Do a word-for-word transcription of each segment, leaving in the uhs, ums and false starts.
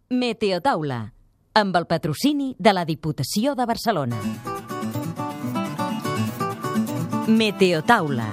Meteotaula, amb el patrocini de la Diputació de Barcelona. Meteotaula.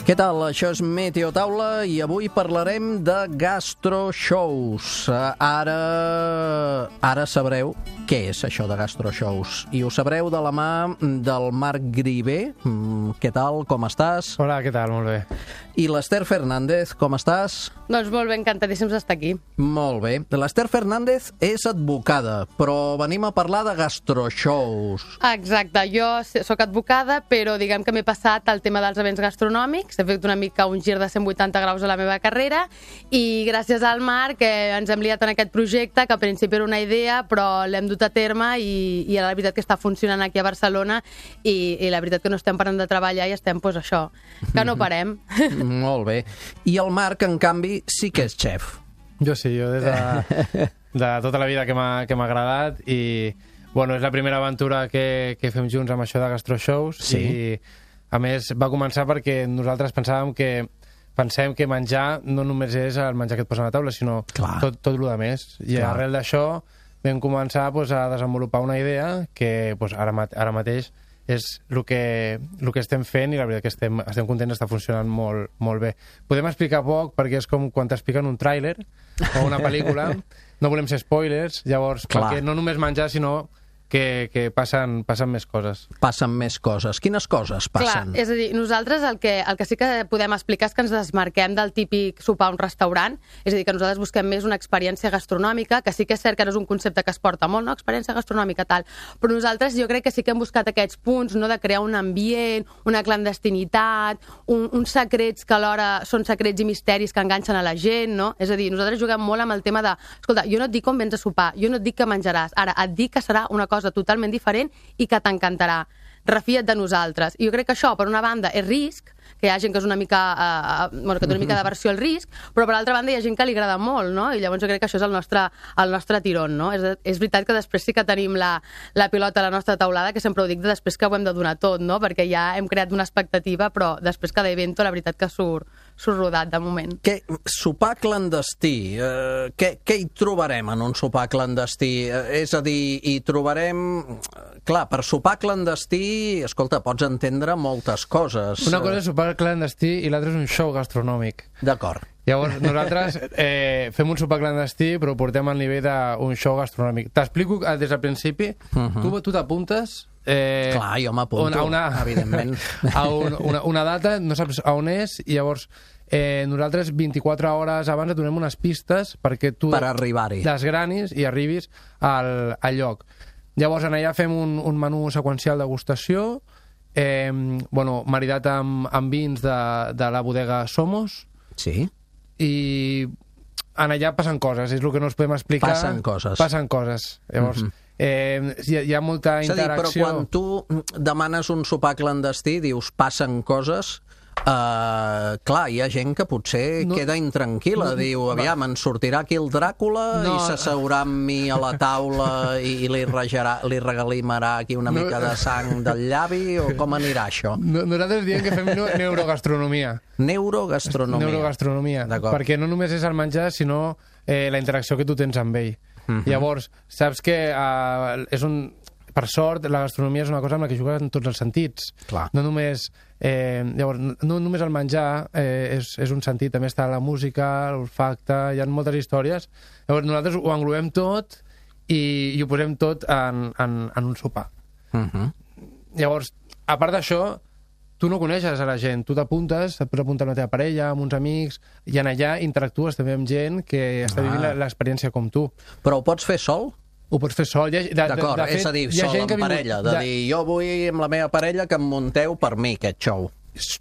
Què tal? Això és Meteotaula i avui parlarem de gastroshows. Ara, ara sabreu què és això de gastroshows i ho sabreu de la mà del Marc Grivé. Què tal? Com estàs? Hola, què tal? Molt bé. I l'Ester Fernández, com estàs? Doncs molt bé, encantadíssims d'estar aquí. Molt bé. L'Ester Fernández és advocada, però venim a parlar de gastroshows. Exacte, jo sóc advocada, però diguem que m'he passat al tema dels events gastronòmics, he fet una mica un gir de cent vuitanta graus a la meva carrera i gràcies al Marc eh, ens hem liat en aquest projecte, que al principi era una idea, però l'hem dut a terme i, i la veritat que està funcionant aquí a Barcelona i, i la veritat que no estem parant de treballar i estem, doncs això, que no parem. Molt bé. I el Marc, en canvi, sí que és xef. Jo sí, jo des de, de tota la vida que m'ha que m'ha agradat i, bueno, és la primera aventura que, que fem junts amb això de gastroshows. Sí. I, a més, va començar perquè nosaltres pensàvem que pensem que menjar no només és el menjar que et posen a la taula, sinó Clar. tot, tot el que més. I Clar. arrel d'això vam començar pues, a desenvolupar una idea que pues, ara, mat ara mateix és el que, el que estem fent i la veritat que estem, estem contents, està funcionant molt, molt bé. Podem explicar poc perquè és com quan t'expliquen un tràiler o una pel·lícula, no volem ser spoilers, llavors, Clar. perquè no només menjar, sinó que, que passen, passen més coses. Passen més coses. Quines coses passen? Clar, és a dir, nosaltres el que, el que sí que podem explicar és que ens desmarquem del típic sopar a un restaurant, és a dir, que nosaltres busquem més una experiència gastronòmica, que sí que és cert que no és un concepte que es porta molt, no? Experiència gastronòmica, tal, però nosaltres jo crec que sí que hem buscat aquests punts, no?, de crear un ambient, una clandestinitat, un, uns secrets que alhora són secrets i misteris que enganxen a la gent, no? És a dir, nosaltres juguem molt amb el tema de, escolta, jo no et dic com vens a sopar, jo no et dic què menjaràs, ara et dic que serà una cosa totalment diferent i que t'encantarà. Refia't de nosaltres. I jo crec que això, per una banda, és risc, que hi ha gent que és una mica, eh, bueno, que té una mica d'aversió al risc, però per altra banda hi ha gent que li agrada molt, no? I llavors jo crec que això és el nostre, el nostre tirón, no? És, és veritat que després sí que tenim la, la pilota a la nostra taulada, que sempre ho dic, de després que ho hem de donar tot, no? Perquè ja hem creat una expectativa, però després cada evento la veritat que surt, surt rodat de moment. Què, sopar clandestí, eh, què, què hi trobarem en un sopar clandestí? Eh, és a dir, hi trobarem... Clar, per sopar clandestí, escolta, pots entendre moltes coses. Una cosa és sopar clandestí i l'altra és un show gastronòmic. D'acord. Llavors, nosaltres eh, fem un sopar clandestí, però ho portem al nivell d'un show gastronòmic. T'explico des del principi. Uh -huh. Tu, tu t'apuntes... Eh, Clar, jo m'apunto, una, evidentment. A un, una, una data, no saps a on és, i llavors eh, nosaltres vint-i-quatre hores abans et donem unes pistes perquè tu per arribar-hi. desgranis i arribis al, al lloc. Llavors, en allà fem un, un menú seqüencial degustació, eh, bueno, maridat amb, amb vins de, de la bodega Somos. Sí. I en allà passen coses, és el que no us podem explicar. Passen coses. Passen coses. Llavors, mm -hmm. eh, hi, ha, hi ha molta és a dir, interacció. però quan tu demanes un sopar clandestí, dius, passen coses... Uh, clar, hi ha gent que potser no, queda intranquil·la, no, diu, aviam, ens sortirà aquí el Dràcula no, i s'asseurà amb mi a la taula i, i li, regarà, li regalimarà aquí una no, mica de sang del llavi, o com anirà això? No, nosaltres diem que fem neurogastronomia. Neurogastronomia. Neurogastronomia, perquè no només és el menjar, sinó eh, la interacció que tu tens amb ell. Uh-huh. Llavors, saps que uh, és un... Per sort, la gastronomia és una cosa amb la que jugues en tots els sentits. Clar. No només... Eh, llavors, no només el menjar eh, és, és un sentit, també està la música, l'olfacte, hi ha moltes històries. Llavors nosaltres ho englobem tot i, i ho posem tot en, en, en un sopar. Uh-huh. Llavors, a part d'això, tu no coneixes a la gent, tu t'apuntes, et pots apuntar amb la teva parella, amb uns amics, i en allà interactues també amb gent que està vivint ah. l'experiència com tu. Però ho pots fer sol? Ho pots fer sol. D'acord, és a dir, sol en parella, de, de dir, jo vull amb la meva parella que em munteu per mi aquest show.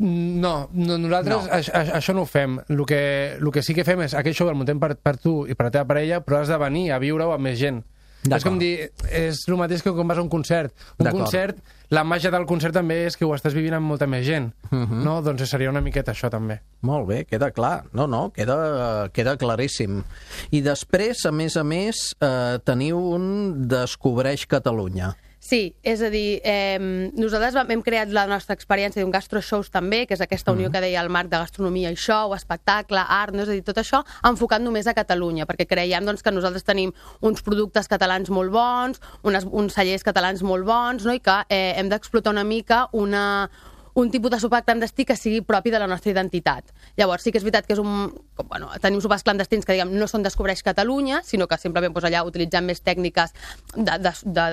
No, no nosaltres no. Això, això no ho fem. El que, el que sí que fem és aquest show el muntem per, per tu i per la teva parella, però has de venir a viure-ho amb més gent. És com dir, és el mateix que quan vas a un concert. Un concert, la màgia del concert també és que ho estàs vivint amb molta més gent. Uh -huh. No? Doncs seria una miqueta això també. Molt bé, queda clar. No, no, queda, queda claríssim. I després, a més a més, eh, teniu un Descobreix Catalunya. Sí, és a dir, eh, nosaltres vam, hem creat la nostra experiència d'un gastroshows també, que és aquesta unió mm. que deia el Marc de gastronomia i show, espectacle, art, no? És a dir, tot això enfocat només a Catalunya, perquè creiem doncs, que nosaltres tenim uns productes catalans molt bons, unes, uns cellers catalans molt bons, no? I que eh, hem d'explotar una mica una... un tipus de sopar clandestí que sigui propi de la nostra identitat. Llavors, sí que és veritat que és un... Bueno, tenim sopars clandestins que, diguem, no són Descobreix Catalunya, sinó que simplement doncs, allà utilitzem més tècniques de, de, de,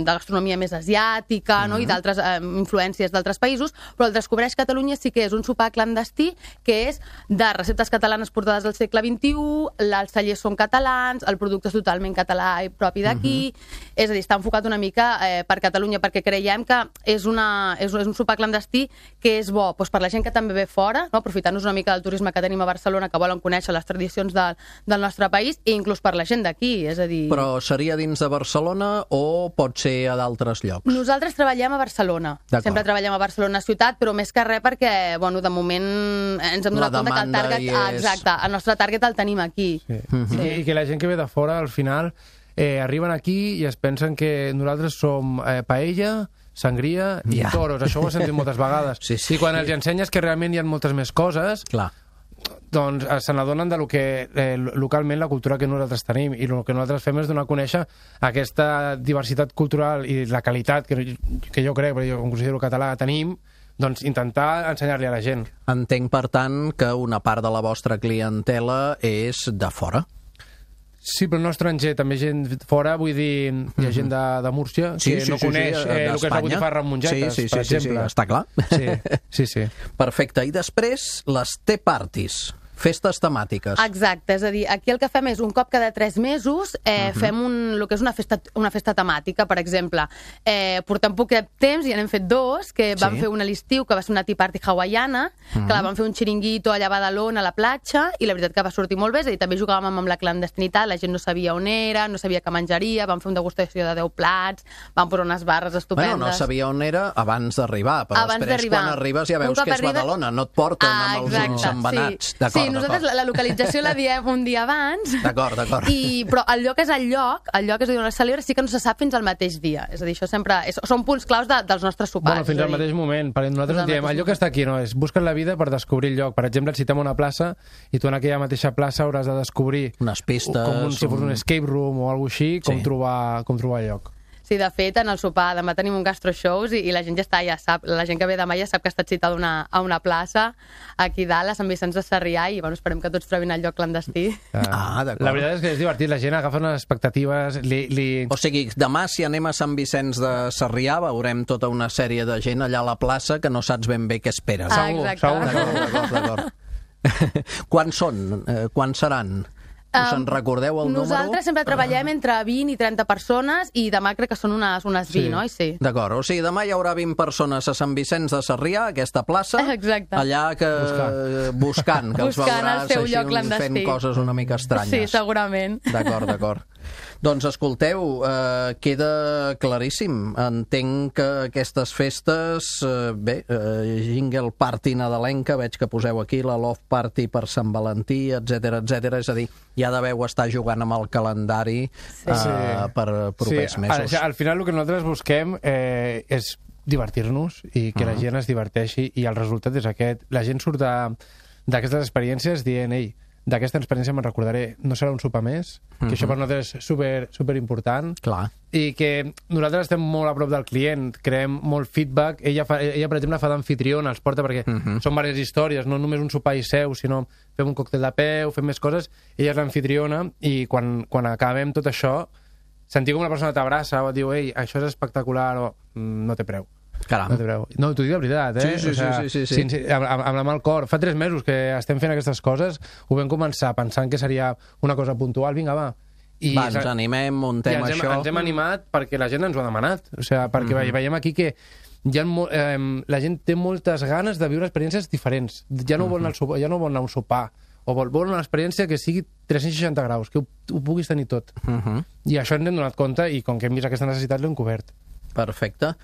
de gastronomia més asiàtica, mm-hmm. no? I d'altres eh, influències d'altres països, però el Descobreix Catalunya sí que és un sopar clandestí que és de receptes catalanes portades al segle vint-i-u, els cellers són catalans, el producte és totalment català i propi d'aquí, mm-hmm. és a dir, està enfocat una mica eh, per Catalunya, perquè creiem que és, una, és, és un sopar clandestí que és bo doncs, per la gent que també ve fora, no? Aprofitant-nos una mica del turisme que tenim a Barcelona, que volen conèixer les tradicions de, del nostre país, i inclús per la gent d'aquí, és a dir... Però seria dins de Barcelona o pot ser a d'altres llocs? Nosaltres treballem a Barcelona. Sempre treballem a Barcelona ciutat, però més que res perquè, bueno, de moment ens hem donat compte que el target... És... Ah, exacte, el nostre target el tenim aquí. Sí. Mm-hmm. Sí. I que la gent que ve de fora, al final, eh, arriben aquí i es pensen que nosaltres som eh, paella, sangria i yeah. toros. Això ho he sentit moltes vegades. Sí, sí. I quan els ensenyes que realment hi ha moltes més coses, clar, doncs se n'adonen de lo que eh, localment la cultura que nosaltres tenim, i el que nosaltres fem és donar a conèixer aquesta diversitat cultural i la qualitat que, que jo crec, perquè jo com considero català tenim, doncs intentar ensenyar-li a la gent. Entenc, per tant, que una part de la vostra clientela és de fora. Sí, però no estranger, també gent fora, vull dir, hi ha gent de, de Múrcia que sí, sí, no sí, coneix sí, eh, el que és la botifarra amb mongetes, sí, sí, per sí, exemple. Sí, sí, està clar. Sí, sí, sí. Perfecte. I després, les tea parties. Festes temàtiques. Exacte, és a dir, aquí el que fem és un cop cada tres mesos eh, uh -huh. fem un, el que és una festa, una festa temàtica, per exemple. Eh, portem poquet temps i n'hem fet dos, que vam sí. fer una a l'estiu, que va ser una tea party hawaiana, uh -huh. que la vam fer un xiringuito allà a Badalona, a la platja, i la veritat que va sortir molt bé, és a dir, també jugàvem amb la clandestinitat, la gent no sabia on era, no sabia què menjaria, vam fer una degustació de deu plats, vam posar unes barres estupendes. Bueno, no sabia on era abans d'arribar, però abans després quan arribes ja veus que és arriba... Badalona, no et porten ah, amb els ulls embenats. Sí. D'acord, sí, nosaltres la, la localització la diem un dia abans. D'acord, d'acord. I, però el lloc és el lloc, el lloc és a dir, on es celebra, sí que no se sap fins al mateix dia. És a dir, això sempre... És, són punts claus de, dels nostres sopars. Bueno, fins al mateix moment. Perquè nosaltres diem, el lloc està aquí, no és? Busques la vida per descobrir el lloc. Per exemple, si tenim una plaça i tu en aquella mateixa plaça hauràs de descobrir unes pistes, com un, si fos un escape room o alguna cosa així, com, sí. trobar, com trobar el lloc. Sí, de fet, en el sopar demà tenim un gastroshows i, i la gent ja està, ja sap, la gent que ve demà ja sap que ha estat citada una, a una plaça aquí dalt, a Sant Vicenç de Sarrià, i bueno, esperem que tots trobin el lloc clandestí. Ah, d'acord. La veritat és que és divertit, la gent agafa unes expectatives... Li, li... O sigui, demà si anem a Sant Vicenç de Sarrià veurem tota una sèrie de gent allà a la plaça que no saps ben bé què esperes. Ah, exacte. Segur, d'acord, d'acord, d'acord. Quan són? Eh, quan seran? Us en recordeu el número? Nosaltres sempre treballem entre vint i trenta persones i demà crec que són unes, unes vint, sí. oi? Sí. D'acord, o sigui, demà hi haurà vint persones a Sant Vicenç de Sarrià, aquesta plaça, exacte. allà que buscant, buscant que els buscant veuràs el seu així lloc clandestí. Fent coses una mica estranyes. Sí, segurament. D'acord, d'acord. Doncs escolteu, eh, queda claríssim. Entenc que aquestes festes, eh, bé, eh, Jingle Party nadalenca, veig que poseu aquí la Love Party per Sant Valentí, etcètera, etcètera. És a dir, ja deveu estar jugant amb el calendari sí. eh, per propers sí. mesos. Al, al final el que nosaltres busquem eh, és divertir-nos i que uh -huh. la gent es diverteixi, i el resultat és aquest. La gent surt d'aquestes experiències dient, ei, d'aquesta experiència me'n recordaré, no serà un sopar més, que uh-huh. això per nosaltres és super, super important. Clar. I que nosaltres estem molt a prop del client, creem molt feedback. Ella, fa, ella per exemple, fa d'anfitriona, els porta perquè uh-huh. són diverses històries, no només un sopar i seu, sinó fem un còctel de peu, fem més coses. Ella és l'anfitriona i quan, quan acabem tot això, sentir com una persona t'abraça o et diu, ei, això és espectacular, o no té preu. Caram. No, no t'ho dic de veritat, eh? Sí, sí, o sigui, sí, sí, sí, sí. sí amb, amb la mà al cor. Fa tres mesos que estem fent aquestes coses, ho vam començar pensant que seria una cosa puntual, vinga, va. I va, ens animem, muntem ens hem, això. Ens hem animat perquè la gent ens ho ha demanat. O sigui, perquè mm-hmm. veiem aquí que hi ha mo eh, la gent té moltes ganes de viure experiències diferents. Ja no, mm-hmm. vol, anar sopar, ja no vol anar a un sopar, o vol, vol una experiència que sigui tres-cents seixanta graus, que ho, ho puguis tenir tot. Mm-hmm. I això ens hem donat compte, i com que hem vist aquesta necessitat l'hem cobert. Perfecte.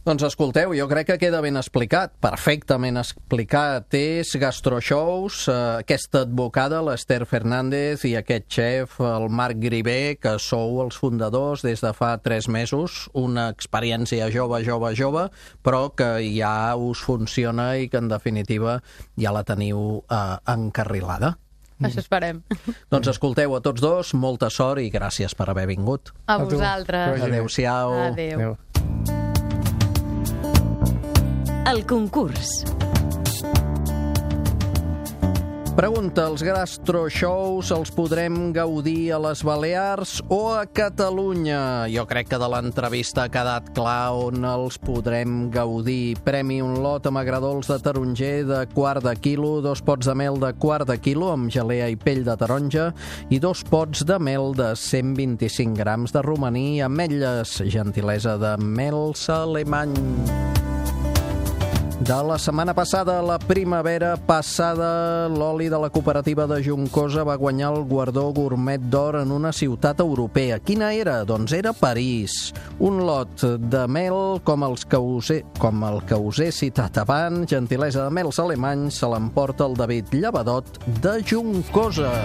Doncs escolteu, jo crec que queda ben explicat, perfectament explicat. És Gastroshows, eh, aquesta advocada, l'Ester Fernández, i aquest xef, el Marc Grivé, que sou els fundadors des de fa tres mesos, una experiència jove, jove, jove, però que ja us funciona i que en definitiva ja la teniu eh, encarrilada. Això esperem. Doncs escolteu, a tots dos, molta sort i gràcies per haver vingut. A vosaltres. Adéu-siau. Adéu. Adéu. El concurs. Pregunta, els gastroshows els podrem gaudir a les Balears o a Catalunya? Jo crec que de l'entrevista ha quedat clar on els podrem gaudir. Premi un lot amb agradols de taronger de quart de quilo, dos pots de mel de quart de quilo amb gelea i pell de taronja i dos pots de mel de cent vint-i-cinc grams de romaní, ametlles, gentilesa de Mels Alemany. De la setmana passada, la primavera passada, l'oli de la cooperativa de Juncosa va guanyar el guardó gourmet d'or en una ciutat europea. Quina era? Doncs era París. Un lot de mel com, els que us he, com el que us he citat abans, gentilesa de Mels Alemany, se l'emporta el David Llevadot de Juncosa.